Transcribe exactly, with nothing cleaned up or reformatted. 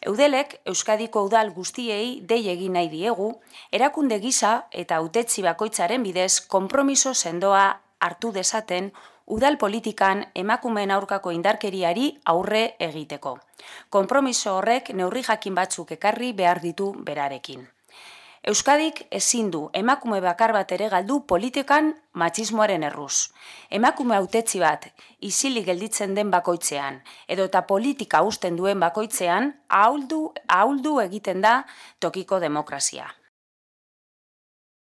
Eudelek Euskadiko udal guztiei dei egin nahi diegu, erakunde gisa eta hautetsi bakoitzaren bidez konpromiso sendoa hartu dezaten udal politikan emakumeen aurkako indarkeriari aurre egiteko. Konpromiso horrek neurri jakin batzuk ekarri behar ditu berarekin. Euskadik ezin du emakume bakar bat ere galdu politikan matxismoaren erruz. Emakume hautetsi bat isilik gelditzen den bakoitzean, edota politika uzten duen bakoitzean, ahuldu, ahuldu egiten da tokiko demokrazia.